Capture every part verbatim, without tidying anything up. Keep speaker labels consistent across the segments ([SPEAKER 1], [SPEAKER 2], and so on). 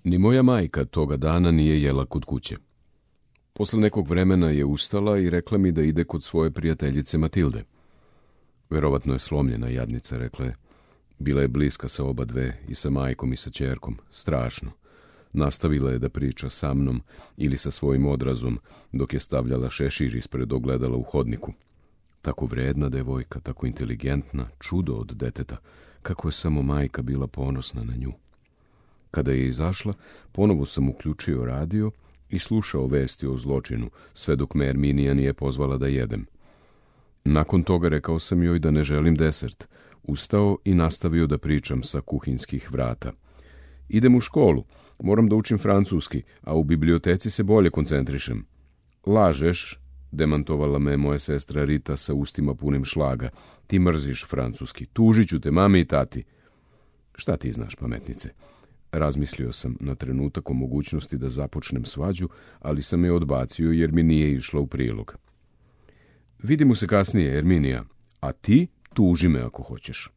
[SPEAKER 1] Ni moja majka toga dana nije jela kod kuće. Posle nekog vremena je ustala i rekla mi da ide kod svoje prijateljice Matilde. Verovatno je slomljena, jadnica, rekla je. Bila je bliska sa oba dve, i sa majkom i sa ćerkom. Strašno. Nastavila je da priča sa mnom ili sa svojim odrazom, dok je stavljala šešir ispred ogledala u hodniku. Tako vredna devojka, tako inteligentna, čudo od deteta, kako je samo majka bila ponosna na nju. Kada je izašla, ponovo sam uključio radio i slušao vesti o zločinu, sve dok me Erminija nije pozvala da jedem. Nakon toga rekao sam joj da ne želim desert, ustao i nastavio da pričam sa kuhinskih vrata. Idem u školu, moram da učim francuski, a u biblioteci se bolje koncentrišem. Lažeš, demantovala me moja sestra Rita sa ustima punim šlaga. Ti mrziš francuski, tužit ću te mami i tati. Šta ti znaš, pametnice? Razmislio sam na trenutak o mogućnosti da započnem svađu, ali sam je odbacio jer mi nije išla u prilog. Vidimo se kasnije, Erminija, a ti tuži me ako hoćeš.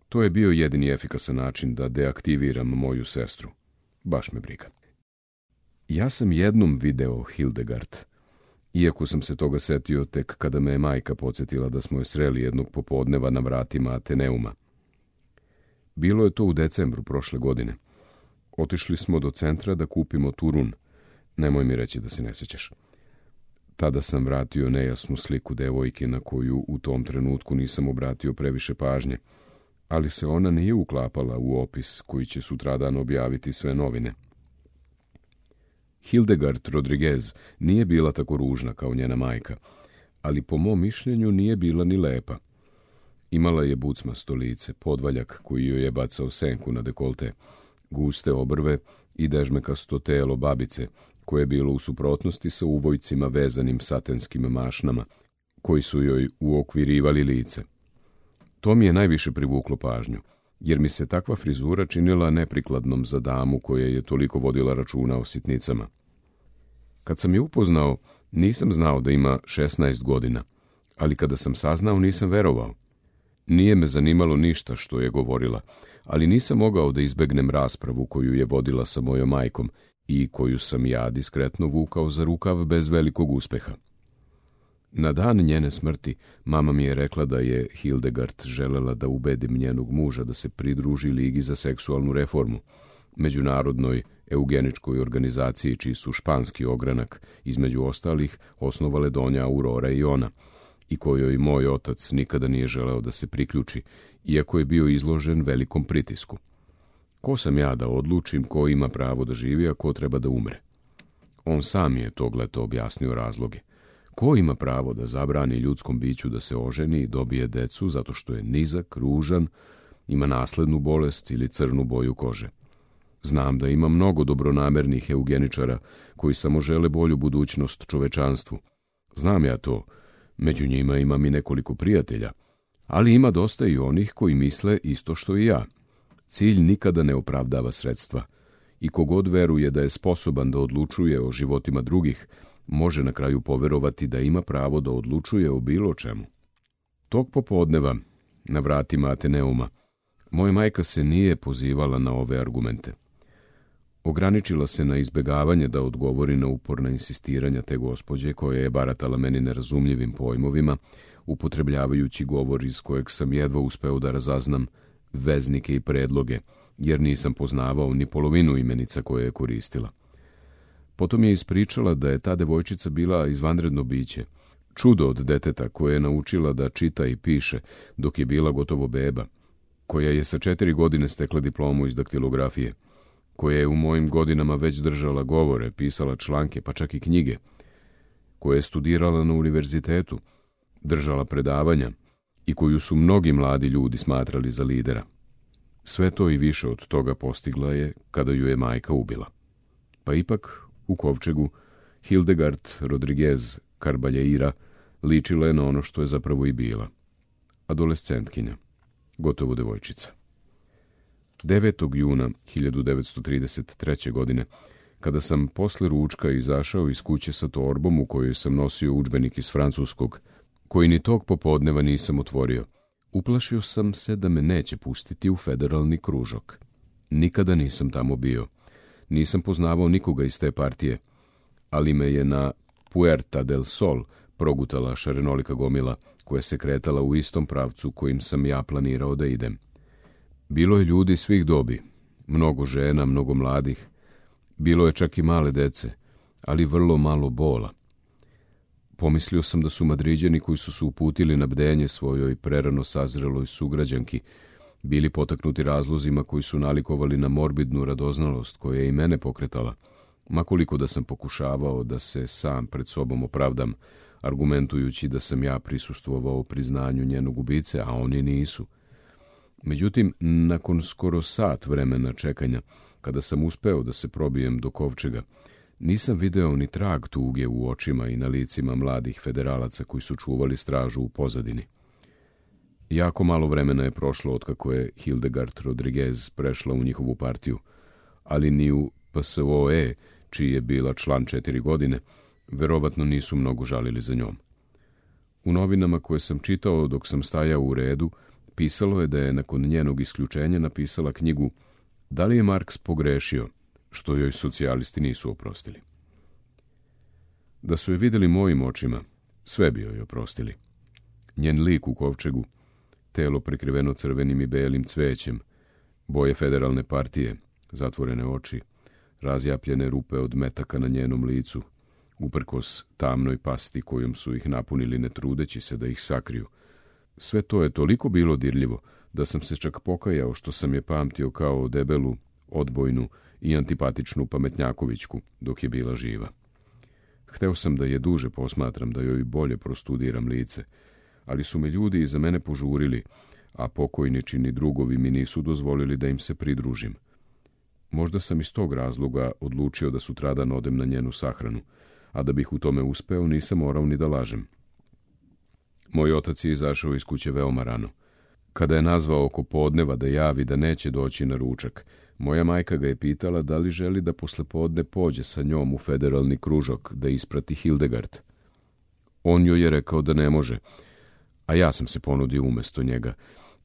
[SPEAKER 1] To je bio jedini efikasan način da deaktiviram moju sestru. Baš me briga. Ja sam jednom video Hildegard, iako sam se toga setio tek kada me je majka podsjetila da smo je sreli jednog popodneva na vratima Ateneuma. Bilo je to u decembru prošle godine. Otišli smo do centra da kupimo turun. Nemoj mi reći da se ne sjećaš. Tada sam vratio nejasnu sliku devojke na koju u tom trenutku nisam obratio previše pažnje, ali se ona nije uklapala u opis koji će sutradan objaviti sve novine. Hildegard Rodriguez nije bila tako ružna kao njena majka, ali po mom mišljenju nije bila ni lepa. Imala je bucmasto lice, podvaljak koji joj je bacao senku na dekolte, guste obrve i dežmekasto telo babice, koje je bilo u suprotnosti sa uvojcima vezanim satenskim mašnama, koji su joj uokvirivali lice. To mi je najviše privuklo pažnju, jer mi se takva frizura činila neprikladnom za damu koja je toliko vodila računa o sitnicama. Kad sam je upoznao, nisam znao da ima šesnaest godina, ali kada sam saznao nisam verovao. Nije me zanimalo ništa što je govorila, ali nisam mogao da izbegnem raspravu koju je vodila sa mojom majkom i koju sam ja diskretno vukao za rukav bez velikog uspeha. Na dan njene smrti mama mi je rekla da je Hildegard želela da ubedim njenog muža da se pridruži Ligi za seksualnu reformu, međunarodnoj eugeničkoj organizaciji čiji su španski ogranak, između ostalih, osnovale Donja Aurora i ona, i kojoj moj otac nikada nije želeo da se priključi, iako je bio izložen velikom pritisku. Ko sam ja da odlučim ko ima pravo da živi, a ko treba da umre? On sam je tog leta objasnio razloge. Ko ima pravo da zabrani ljudskom biću da se oženi i dobije decu zato što je nizak, ružan, ima naslednu bolest ili crnu boju kože? Znam da ima mnogo dobronamernih eugeničara koji samo žele bolju budućnost čovečanstvu. Znam ja to, među njima imam i nekoliko prijatelja, ali ima dosta i onih koji misle isto što i ja. Cilj nikada ne opravdava sredstva i kogod veruje da je sposoban da odlučuje o životima drugih, može na kraju poverovati da ima pravo da odlučuje o bilo čemu. Tog popodneva, na vratima Ateneuma, moja majka se nije pozivala na ove argumente. Ograničila se na izbegavanje da odgovori na uporna insistiranja te gospođe koja je baratala meni nerazumljivim pojmovima, upotrebljavajući govor iz kojeg sam jedva uspeo da razaznam veznike i predloge, jer nisam poznavao ni polovinu imenica koje je koristila. Potom je ispričala da je ta devojčica bila izvanredno biće, čudo od deteta koje je naučila da čita i piše dok je bila gotovo beba, koja je sa četiri godine stekla diplomu iz daktilografije, koja je u mojim godinama već držala govore, pisala članke, pa čak i knjige, koja je studirala na univerzitetu, držala predavanja i koju su mnogi mladi ljudi smatrali za lidera. Sve to i više od toga postigla je kada ju je majka ubila. Pa ipak, u kovčegu, Hildegard Rodriguez Carballeira ličila je na ono što je zapravo i bila. Adolescentkinja, gotovo devojčica. devetog juna hiljadu devetsto trideset treće. godine, kada sam posle ručka izašao iz kuće sa torbom u kojoj sam nosio udžbenik iz francuskog, koji ni tog popodneva nisam otvorio, uplašio sam se da me neće pustiti u federalni kružok. Nikada nisam tamo bio. Nisam poznavao nikoga iz te partije, ali me je na Puerta del Sol progutala šarenolika gomila koja se kretala u istom pravcu kojim sam ja planirao da idem. Bilo je ljudi svih dobi, mnogo žena, mnogo mladih, bilo je čak i male dece, ali vrlo malo bola. Pomislio sam da su Madriđani koji su se uputili na bdenje svojoj prerano sazreloj sugrađanki bili potaknuti razlozima koji su nalikovali na morbidnu radoznalost koja je i mene pokretala, makoliko da sam pokušavao da se sam pred sobom opravdam, argumentujući da sam ja prisustvovao priznanju njenog ubice, a oni nisu. Međutim, nakon skoro sat vremena čekanja, kada sam uspeo da se probijem do kovčega, nisam video ni trag tuge u očima i na licima mladih federalaca koji su čuvali stražu u pozadini. Jako malo vremena je prošlo otkako je Hildegard Rodriguez prešla u njihovu partiju, ali ni u P S O E, čiji je bila član četiri godine, verovatno nisu mnogo žalili za njom. U novinama koje sam čitao dok sam stajao u redu, pisalo je da je nakon njenog isključenja napisala knjigu Da li je Marks pogrešio, što joj socijalisti nisu oprostili. Da su je vidjeli mojim očima, sve bi joj oprostili. Njen lik u kovčegu, telo prekriveno crvenim i belim cvećem, boje federalne partije, zatvorene oči, razjapljene rupe od metaka na njenom licu, uprkos tamnoj pasti kojom su ih napunili ne trudeći se da ih sakriju. Sve to je toliko bilo dirljivo da sam se čak pokajao što sam je pamtio kao debelu, odbojnu i antipatičnu pametnjakovićku dok je bila živa. Hteo sam da je duže posmatram, da joj bolje prostudiram lice, ali su me ljudi iza mene požurili, a pokojničini drugovi mi nisu dozvolili da im se pridružim. Možda sam iz tog razloga odlučio da sutradan odem na njenu sahranu, a da bih u tome uspeo nisam morao ni da lažem. Moj otac je izašao iz kuće veoma rano. Kada je nazvao oko podneva da javi da neće doći na ručak, moja majka ga je pitala da li želi da posle podne pođe sa njom u federalni kružok da isprati Hildegard. On joj je rekao da ne može, a ja sam se ponudio umesto njega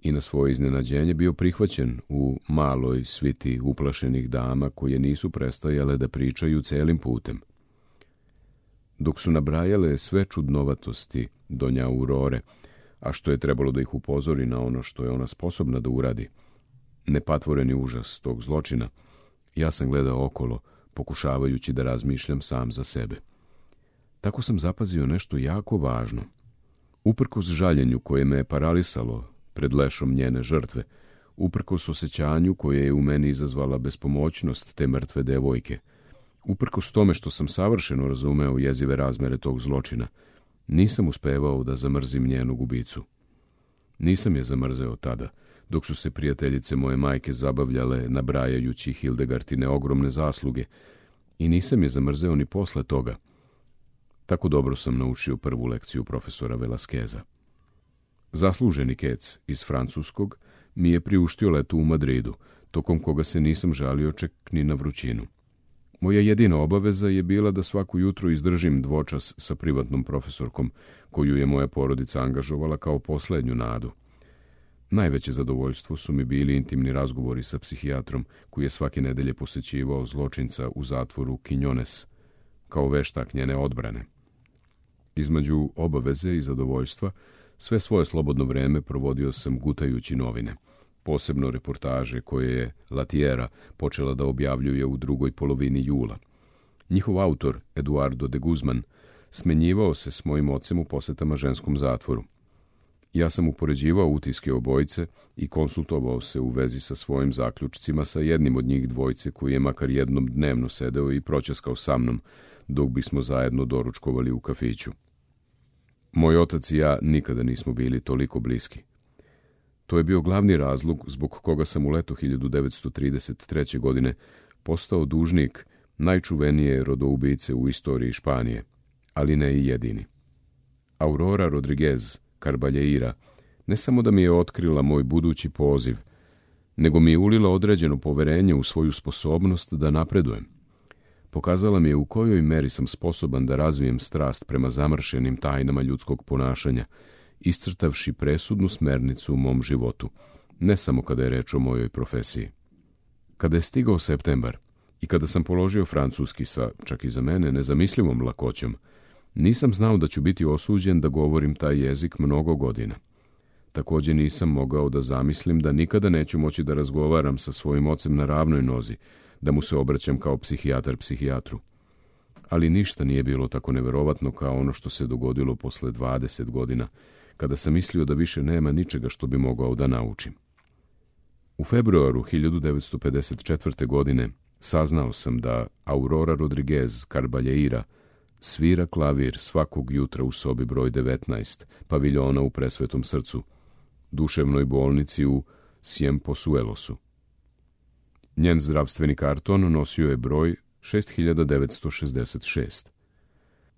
[SPEAKER 1] i na svoje iznenađenje bio prihvaćen u maloj sviti uplašenih dama koje nisu prestajale da pričaju celim putem. Dok su nabrajale sve čudnovatosti donja Aurore, a što je trebalo da ih upozori na ono što je ona sposobna da uradi, nepatvoreni užas tog zločina, ja sam gledao okolo, pokušavajući da razmišljam sam za sebe. Tako sam zapazio nešto jako važno. Uprkos žaljenju koje me je paralisalo pred lešom njene žrtve, uprkos osjećanju koje je u meni izazvala bespomoćnost te mrtve devojke, uprkos tome što sam savršeno razumeo jezive razmere tog zločina, nisam uspevao da zamrzim njenu ubicu. Nisam je zamrzeo tada, dok su se prijateljice moje majke zabavljale nabrajajući Hildegardine ogromne zasluge, i nisam je zamrzeo ni posle toga. Tako dobro sam naučio prvu lekciju profesora Velasqueza. Zasluženi kec iz francuskog mi je priuštio letu u Madridu, tokom koga se nisam žalio čak ni na vrućinu. Moja jedina obaveza je bila da svaku jutro izdržim dvočas sa privatnom profesorkom, koju je moja porodica angažovala kao poslednju nadu. Najveće zadovoljstvo su mi bili intimni razgovori sa psihijatrom, koji je svake nedelje posećivao zločinca u zatvoru Quiñones, kao veštak njene odbrane. Između obaveze i zadovoljstva, sve svoje slobodno vreme provodio sam gutajući novine, posebno reportaže koje je Latiera počela da objavljuje u drugoj polovini jula. Njihov autor, Eduardo de Guzman, smenjivao se s mojim ocem u posetama ženskom zatvoru. Ja sam upoređivao utiske obojice i konsultovao se u vezi sa svojim zaključcima sa jednim od njih dvojice koji je makar jednom dnevno sedeo i proćaskao sa mnom, dok bismo zajedno doručkovali u kafiću. Moj otac i ja nikada nismo bili toliko bliski. To je bio glavni razlog zbog koga sam u leto hiljadu devetsto trideset treće. godine postao dužnik najčuvenije rodoubice u istoriji Španije, ali ne i jedini. Aurora Rodriguez Carballeira ne samo da mi je otkrila moj budući poziv, nego mi je ulila određeno poverenje u svoju sposobnost da napredujem. Pokazala mi je u kojoj meri sam sposoban da razvijem strast prema zamršenim tajnama ljudskog ponašanja, iscrtavši presudnu smernicu u mom životu, ne samo kada je reč o mojoj profesiji. Kada je stigao septembar, I kada sam položio francuski sa, čak i za mene, nezamislivom lakoćom, nisam znao da ću biti osuđen da govorim taj jezik mnogo godina. Također nisam mogao da zamislim da nikada neću moći da razgovaram sa svojim ocem na ravnoj nozi, da mu se obraćam kao psihijatar psihijatru. Ali ništa nije bilo tako neverovatno kao ono što se dogodilo posle dvadeset godina, kada sam mislio da više nema ničega što bi mogao da naučim. U februaru hiljadu devetsto pedeset četvrte. godine saznao sam da Aurora Rodriguez Carballeira svira klavir svakog jutra u sobi broj devetnaest, paviljona u Presvetom srcu, duševnoj bolnici u Ciempozuelosu. Njen zdravstveni karton nosio je broj šest hiljada devetsto šezdeset šest.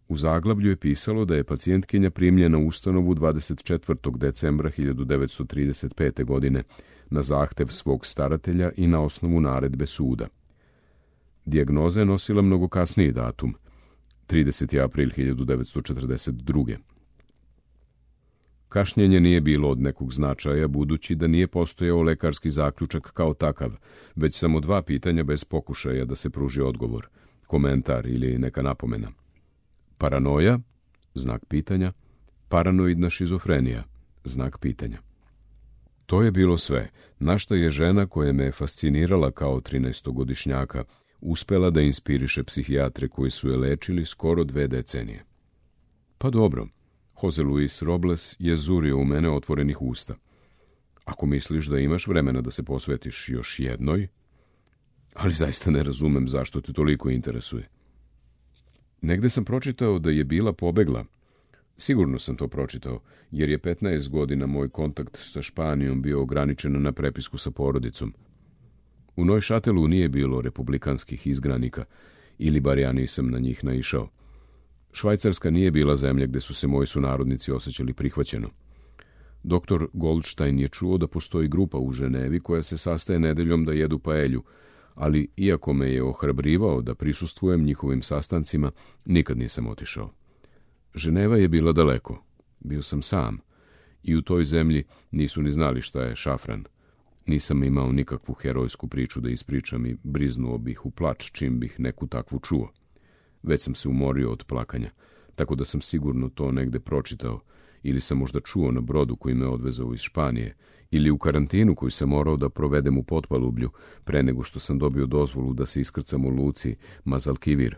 [SPEAKER 1] U zaglavlju je pisalo da je pacijentkinja primljena u ustanovu dvadeset četvrtog decembra hiljadu devetsto trideset pete. godine na zahtev svog staratelja i na osnovu naredbe suda. Dijagnoza je nosila mnogo kasniji datum, trideseti april hiljadu devetsto četrdeset druge. Kašnjenje nije bilo od nekog značaja, budući da nije postojao lekarski zaključak kao takav, već samo dva pitanja bez pokušaja da se pruži odgovor, komentar ili neka napomena. Paranoja, znak pitanja, paranoidna šizofrenija, znak pitanja. To je bilo sve, na što je žena koja me je fascinirala kao trinaestogodišnjaka uspela da inspiriše psihijatre koji su je lečili skoro dve decenije. Pa dobro, Jose Luis Robles je zurio u mene otvorenih usta. Ako misliš da imaš vremena da se posvetiš još jednoj, ali zaista ne razumem zašto te toliko interesuje. Negde sam pročitao da je bila pobegla. Sigurno sam to pročitao, jer je petnaest godina moj kontakt sa Španijom bio ograničen na prepisku sa porodicom. U Neuchâtelu nije bilo republikanskih izgranika, ili bar ja nisam na njih naišao. Švajcarska nije bila zemlja gde su se moji sunarodnici osjećali prihvaćeno. Doktor Goldstein je čuo da postoji grupa u Ženevi koja se sastaje nedeljom da jedu paelju, ali iako me je ohrabrivao da prisustvujem njihovim sastancima, nikad nisam otišao. Ženeva je bila daleko, bio sam sam, i u toj zemlji nisu ni znali šta je šafran. Nisam imao nikakvu herojsku priču da ispričam i briznuo bih u plač čim bih neku takvu čuo. Već sam se umorio od plakanja, tako da sam sigurno to negde pročitao, ili sam možda čuo na brodu koji me odvezao iz Španije, ili u karantinu koji sam morao da provedem u Potpalublju pre nego što sam dobio dozvolu da se iskrcam u luci Mazalkivir,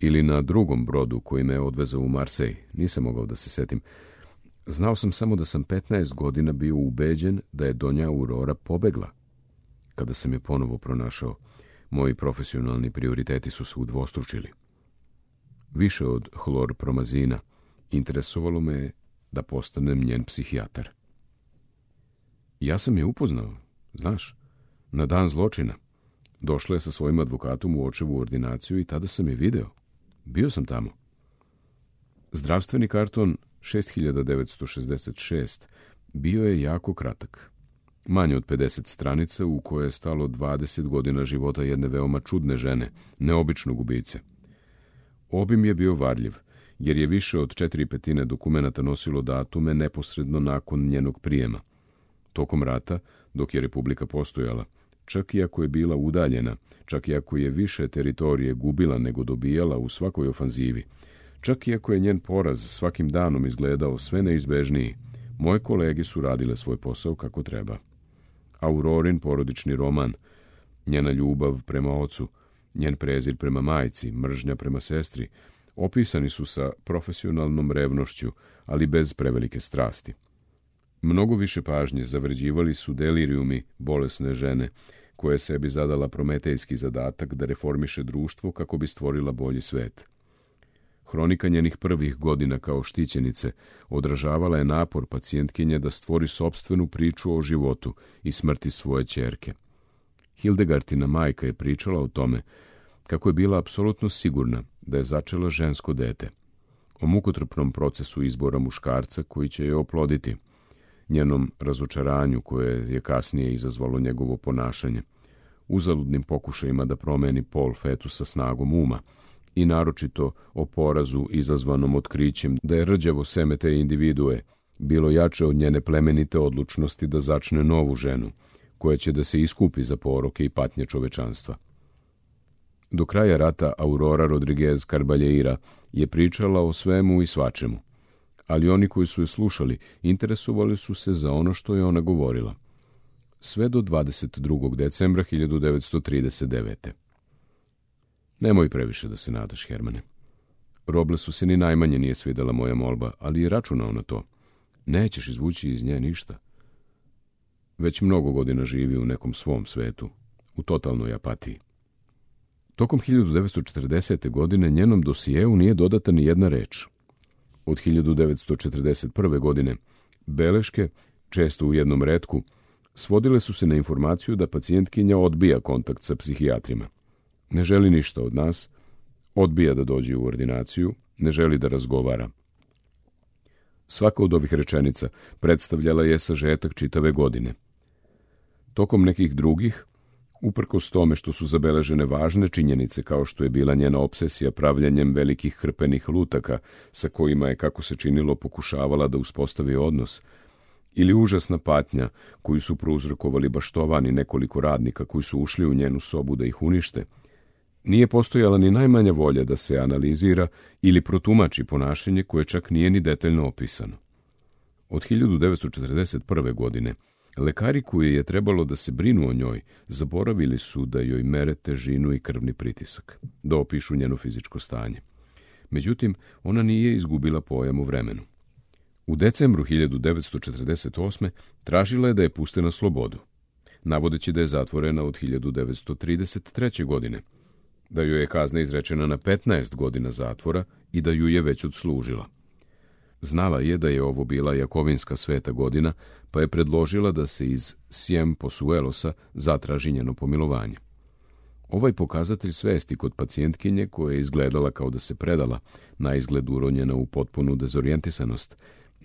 [SPEAKER 1] ili na drugom brodu koji me odvezao u Marsej, nisam mogao da se setim. Znao sam samo da sam petnaest godina bio ubeđen da je Donja Aurora pobegla. Kada sam je ponovo pronašao, moji profesionalni prioriteti su se udvostručili. Više od hlorpromazina, interesovalo me je da postanem njen psihijatar. Ja sam je upoznao, znaš, na dan zločina. Došla je sa svojim advokatom u očevu ordinaciju i tada sam je video. Bio sam tamo. Zdravstveni karton šest hiljada devetsto šezdeset šest bio je jako kratak. Manje od pedeset stranica u koje je stalo dvadeset godina života jedne veoma čudne žene, neobičnog ubice. Obim je bio varljiv, jer je više od četiri petine dokumenata nosilo datume neposredno nakon njenog prijema. Tokom rata, dok je Republika postojala, čak i ako je bila udaljena, čak i ako je više teritorije gubila nego dobijala u svakoj ofanzivi, čak i ako je njen poraz svakim danom izgledao sve neizbežniji, moje kolege su radile svoj posao kako treba. Aurorin porodični roman, njena ljubav prema ocu, njen prezir prema majci, mržnja prema sestri, opisani su sa profesionalnom revnošću, ali bez prevelike strasti. Mnogo više pažnje zavređivali su delirijumi bolesne žene, koja je sebi zadala prometejski zadatak da reformiše društvo kako bi stvorila bolji svet. Hronika njenih prvih godina kao štićenice odražavala je napor pacijentkinje da stvori sopstvenu priču o životu i smrti svoje ćerke. Hildegardina majka je pričala o tome kako je bila apsolutno sigurna da je začela žensko dete, o mukotrpnom procesu izbora muškarca koji će je oploditi, njenom razočaranju koje je kasnije izazvalo njegovo ponašanje, uzaludnim pokušajima da promeni pol fetusa snagom uma i naročito o porazu izazvanom otkrićem da je rđavo seme te individue bilo jače od njene plemenite odlučnosti da začne novu ženu, koja će da se iskupi za poroke i patnje čovečanstva. Do kraja rata Aurora Rodriguez Carballeira je pričala o svemu i svačemu, ali oni koji su je slušali interesovali su se za ono što je ona govorila. Sve do dvadeset drugog decembra hiljadu devetsto trideset devete. Nemoj previše da se nadaš, Hermane. Roblesu se ni najmanje nije svidela moja molba, ali je računao na to. Nećeš izvući iz nje ništa. Već mnogo godina živi u nekom svom svetu, u totalnoj apatiji. Tokom hiljadu devetsto četrdesete. godine njenom dosijeu nije dodata ni jedna reč. Od hiljadu devetsto četrdeset prve. godine beleške, često u jednom retku, svodile su se na informaciju da pacijentkinja odbija kontakt sa psihijatrima. Ne želi ništa od nas, odbija da dođe u ordinaciju, ne želi da razgovara. Svaka od ovih rečenica predstavljala je sažetak čitave godine. Tokom nekih drugih, uprkos tome što su zabeležene važne činjenice kao što je bila njena obsesija pravljanjem velikih hrpenih lutaka sa kojima je, kako se činilo, pokušavala da uspostavi odnos, ili užasna patnja koju su prouzrokovali baštovani nekoliko radnika koji su ušli u njenu sobu da ih unište, nije postojala ni najmanja volja da se analizira ili protumači ponašanje koje čak nije ni detaljno opisano. Od hiljadu devetsto četrdeset prve. godine lekari koji je trebalo da se brinu o njoj zaboravili su da joj mere težinu i krvni pritisak, da opišu njeno fizičko stanje. Međutim, ona nije izgubila pojam o vremenu. U decembru hiljadu devetsto četrdeset osme. tražila je da je puste na slobodu, navodeći da je zatvorena od hiljadu devetsto trideset treće. godine, da joj je kazna izrečena na petnaest godina zatvora i da ju je već odslužila. Znala je da je ovo bila Jakovinska sveta godina, pa je predložila da se iz Ciempozuelosa zatraži njeno pomilovanje. Ovaj pokazatelj svesti kod pacijentkinje, koja je izgledala kao da se predala, na izgled uronjena u potpunu dezorijentisanost,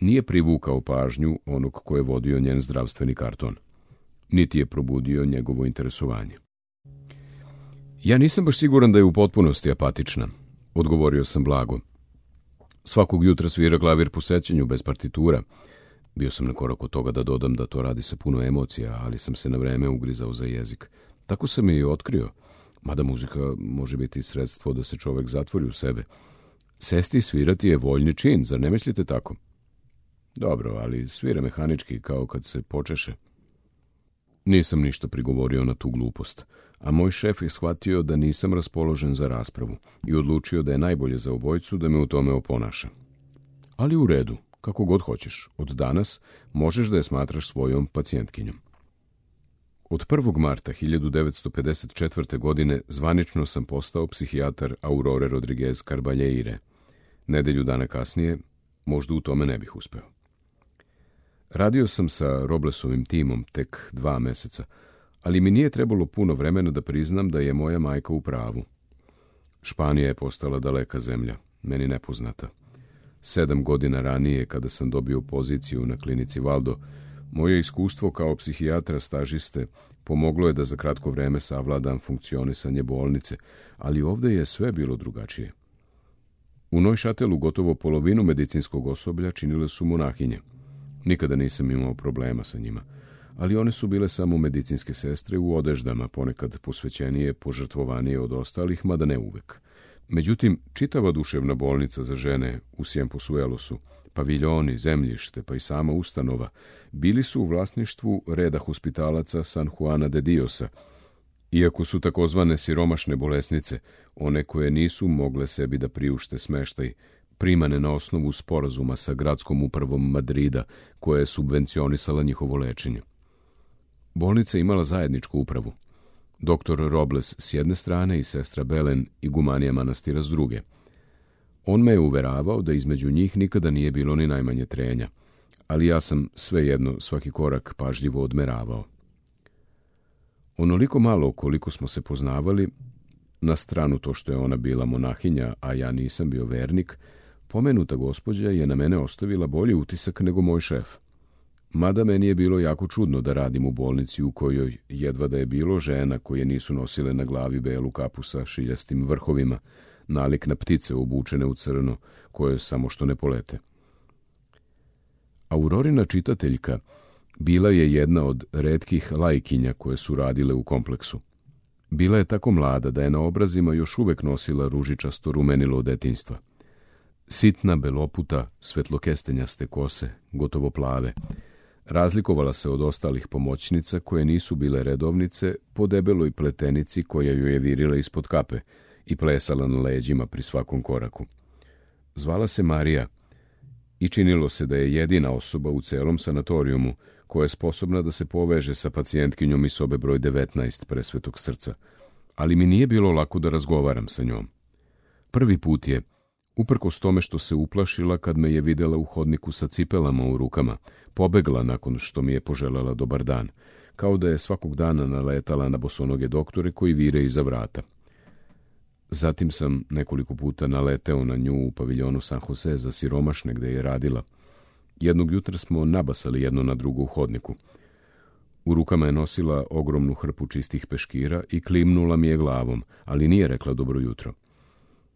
[SPEAKER 1] nije privukao pažnju onog ko je vodio njen zdravstveni karton, niti je probudio njegovo interesovanje. Ja nisam baš siguran da je u potpunosti apatična, odgovorio sam blago. Svakog jutra svira klavir po sećanju bez partitura. Bio sam na korak od toga da dodam da to radi sa puno emocija, ali sam se na vreme ugrizao za jezik. Tako sam je i otkrio, mada muzika može biti sredstvo da se čovek zatvori u sebe. Sesti i svirati je voljni čin, zar ne mislite tako? Dobro, ali svira mehanički, kao kad se počeše. Nisam ništa prigovorio na tu glupost, a moj šef je shvatio da nisam raspoložen za raspravu i odlučio da je najbolje za obojicu da me u tome oponaša. Ali u redu, kako god hoćeš, od danas možeš da je smatraš svojom pacijentkinjom. Od prvog marta hiljadu devetsto pedeset četvrte. godine zvanično sam postao psihijatar Aurore Rodriguez Carballeire. Nedelju dana kasnije možda u tome ne bih uspeo. Radio sam sa Roblesovim timom tek dva meseca, ali mi nije trebalo puno vremena da priznam da je moja majka u pravu. Španija je postala daleka zemlja, meni nepoznata. Sedam godina ranije, kada sam dobio poziciju na klinici Valdo, moje iskustvo kao psihijatra stažiste pomoglo je da za kratko vreme savladam funkcionisanje bolnice, ali ovde je sve bilo drugačije. U Neušatelu gotovo polovinu medicinskog osoblja činile su monahinje. Nikada nisam imao problema sa njima, ali one su bile samo medicinske sestre u odeždama, ponekad posvećenije, požrtvovanije od ostalih, mada ne uvek. Međutim, čitava duševna bolnica za žene u Ciempozuelosu, paviljoni, zemljište, pa i sama ustanova, bili su u vlasništvu reda hospitalaca San Juana de Diosa, iako su takozvane siromašne bolesnice, one koje nisu mogle sebi da priušte smeštaj, primane na osnovu sporazuma sa gradskom upravom Madrida, koja je subvencionisala njihovo lečenje. Bolnica je imala zajedničku upravu. Doktor Robles s jedne strane i sestra Belen igumanija manastira s druge. On me je uveravao da između njih nikada nije bilo ni najmanje trenja, ali ja sam svejedno svaki korak pažljivo odmeravao. Onoliko malo koliko smo se poznavali, na stranu to što je ona bila monahinja, a ja nisam bio vernik, pomenuta gospođa je na mene ostavila bolji utisak nego moj šef. Mada meni je bilo jako čudno da radim u bolnici u kojoj jedva da je bilo žena koje nisu nosile na glavi belu kapu sa šiljastim vrhovima, nalik na ptice obučene u crno, koje samo što ne polete. Aurorina čitateljka bila je jedna od retkih lajkinja koje su radile u kompleksu. Bila je tako mlada da je na obrazima još uvek nosila ružičasto rumenilo od detinjstva. Sitna, beloputa, svetlokestenjaste kose, gotovo plave. Razlikovala se od ostalih pomoćnica koje nisu bile redovnice po debeloj pletenici koja ju je virila ispod kape i plesala na leđima pri svakom koraku. Zvala se Marija i činilo se da je jedina osoba u celom sanatorijumu koja je sposobna da se poveže sa pacijentkinjom iz sobe broj devetnaest Presvetog srca, ali mi nije bilo lako da razgovaram sa njom. Prvi put je, uprkos tome što se uplašila kad me je videla u hodniku sa cipelama u rukama, pobegla nakon što mi je poželjela dobar dan, kao da je svakog dana naletala na bosonoge doktore koji vire iza vrata. Zatim sam nekoliko puta naleteo na nju u paviljonu San Jose za siromašne gde je radila. Jednog jutra smo nabasali jedno na drugo u hodniku. U rukama je nosila ogromnu hrpu čistih peškira i klimnula mi je glavom, ali nije rekla dobro jutro.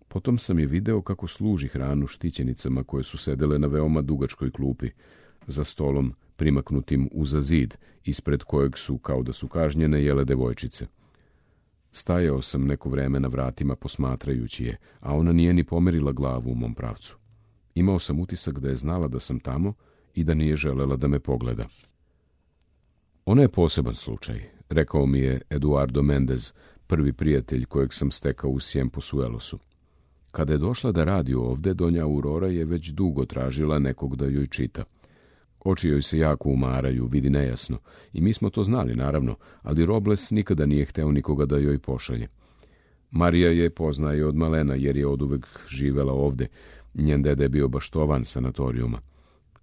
[SPEAKER 1] Potom sam je video kako služi hranu štićenicama koje su sedele na veoma dugačkoj klupi, za stolom primaknutim uza zid, ispred kojeg su, kao da su kažnjene, jele devojčice. Stajao sam neko vreme na vratima posmatrajući je, a ona nije ni pomerila glavu u mom pravcu. Imao sam utisak da je znala da sam tamo i da nije želela da me pogleda. Ona je poseban slučaj, rekao mi je Eduardo Mendez, prvi prijatelj kojeg sam stekao u Siemposuelosu. Kada je došla da radi ovde, donja Aurora je već dugo tražila nekog da joj čita. Oči joj se jako umaraju, vidi nejasno, i mi smo to znali, naravno, ali Robles nikada nije hteo nikoga da joj pošalje. Marija je poznaje od malena, jer je oduvek živela ovde. Njen deda je bio baštovan sanatorijuma.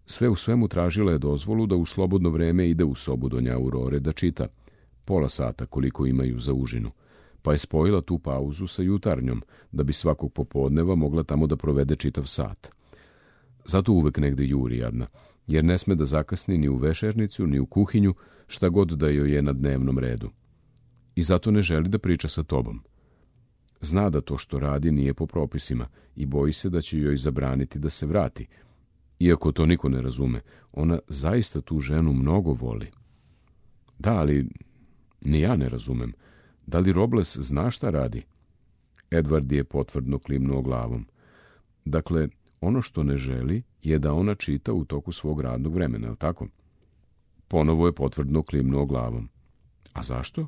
[SPEAKER 1] Sve u svemu tražila je dozvolu da u slobodno vreme ide u sobu donja Aurore da čita, pola sata koliko imaju za užinu, pa je spojila tu pauzu sa jutarnjom, da bi svakog popodneva mogla tamo da provede čitav sat. Zato uvek negde juri jadna, jer ne sme da zakasni ni u vešernicu, ni u kuhinju, šta god da joj je na dnevnom redu. I zato ne želi da priča sa tobom. Zna da to što radi nije po propisima i boji se da će joj zabraniti da se vrati. Iako to niko ne razume, ona zaista tu ženu mnogo voli. Da, ali ni ja ne razumem. Da li Robles zna šta radi? Edward je potvrdno klimnuo glavom. Dakle, ono što ne želi je da ona čita u toku svog radnog vremena, je li tako? Ponovo je potvrdno klimnuo glavom. A zašto?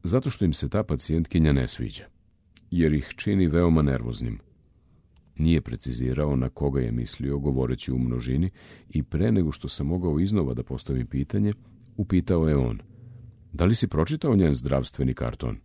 [SPEAKER 1] Zato što im se ta pacijentkinja ne sviđa, jer ih čini veoma nervoznim. Nije precizirao na koga je mislio govoreći u množini i pre nego što sam mogao iznova da postavim pitanje, upitao je on. Da li si pročitao njen zdravstveni karton?